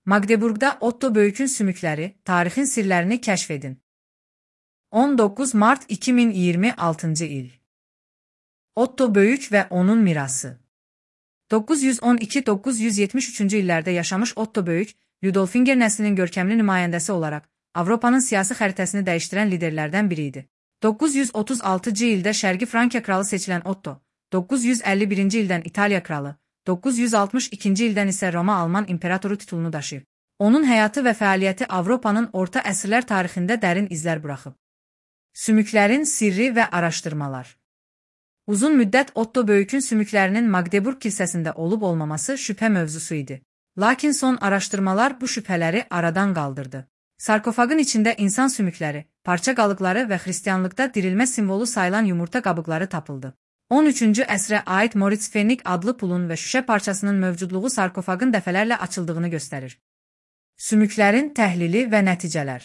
Magdeburgda Otto Böyük'ün sümükləri, tarixin sirlərini kəşf edin. 19 Mart 2026 il. Otto Böyük və onun mirası. 912-973 illərdə yaşamış Otto Böyük, Ludolfinger nəslinin görkəmli nümayəndəsi olaraq Avropanın siyasi xəritəsini dəyişdirən liderlərdən biri idi. 936-cı ildə Şərqi Frankiya kralı seçilən Otto, 951-ci ildən İtaliya kralı, 962-ci ildən isə Roma-Alman imperatoru titulunu daşıyıb. Onun həyatı və fəaliyyəti Avropanın orta əsrlər tarixində dərin izlər buraxıb. Sümüklərin sirri və araşdırmalar. Uzun müddət Otto Böyük'ün sümüklərinin Magdeburg kilsəsində olub-olmaması şübhə mövzusu idi. Lakin son araşdırmalar bu şübhələri aradan qaldırdı. Sarkofagın içində insan sümükləri, parça qalıqları və xristianlıqda dirilmə simvolu sayılan yumurta qabıqları tapıldı. 13-cü əsrə aid Moritz Pfennig adlı pulun və şüşə parçasının mövcudluğu sarkofagın dəfələrlə açıldığını göstərir. Sümüklərin təhlili və nəticələr.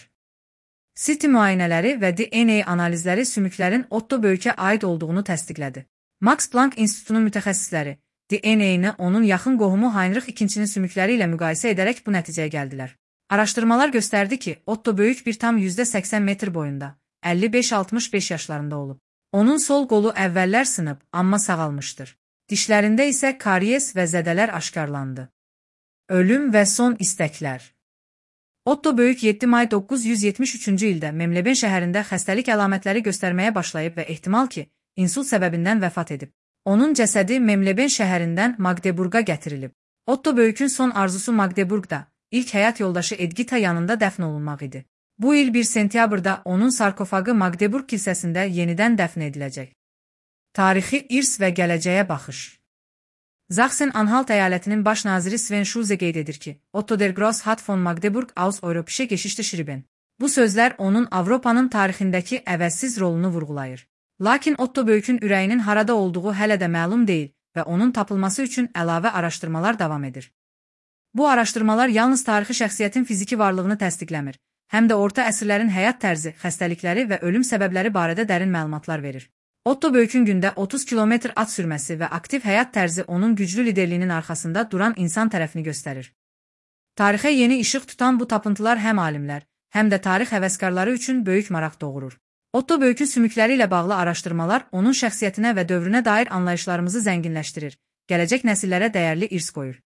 CT müayinələri və DNA analizləri sümüklərin Otto Böyük'ə aid olduğunu təsdiqlədi. Max Planck İnstitutunun mütəxəssisləri DNA-ni onun yaxın qohumu Heinrich II-nin sümükləri ilə müqayisə edərək bu nəticəyə gəldilər. Araşdırmalar göstərdi ki, Otto Böyük bir tam %80 metr boyunda, 55-65 yaşlarında olub. Onun sol qolu əvvəllər sınıb, amma sağalmışdır. Dişlərində isə karies və zədələr aşkarlandı. Ölüm və son istəklər. Otto Böyük 7 may 973-cü ildə Memleben şəhərində xəstəlik əlamətləri göstərməyə başlayıb və ehtimal ki, insult səbəbindən vəfat edib. Onun cəsədi Memleben şəhərindən Magdeburg'a gətirilib. Otto Böyük'ün son arzusu Magdeburg'da, ilk həyat yoldaşı Edgita yanında dəfn olunmaq idi. Bu il 1 sentyabrda onun sarkofagı Magdeburg kilsəsində yenidən dəfn ediləcək. Tarixi irs və gələcəyə baxış. Sachsen-Anhalt əyalətinin baş naziri Sven Schulze qeyd edir ki, Otto der Gross hat von Magdeburg aus Europäische Geschichte geschrieben. Bu sözlər onun Avropanın tarixindəki əvəzsiz rolunu vurğulayır. Lakin Otto Böyük'ün ürəyinin harada olduğu hələ də məlum deyil və onun tapılması üçün əlavə araşdırmalar davam edir. Bu araşdırmalar yalnız tarixi şəxsiyyətin fiziki varlığını təsdiqləmir, həm də orta əsrlərin həyat tərzi, xəstəlikləri və ölüm səbəbləri barədə dərin məlumatlar verir. Otto Böyük'ün gündə 30 kilometr at sürməsi və aktiv həyat tərzi onun güclü liderliyinin arxasında duran insan tərəfini göstərir. Tarixə yeni işıq tutan bu tapıntılar həm alimlər, həm də tarix həvəskarları üçün böyük maraq doğurur. Otto Böyük'ün sümükləri ilə bağlı araşdırmalar onun şəxsiyyətinə və dövrünə dair anlayışlarımızı zənginləşdirir, gələcək nəsillərə dəyərli irs qoyur.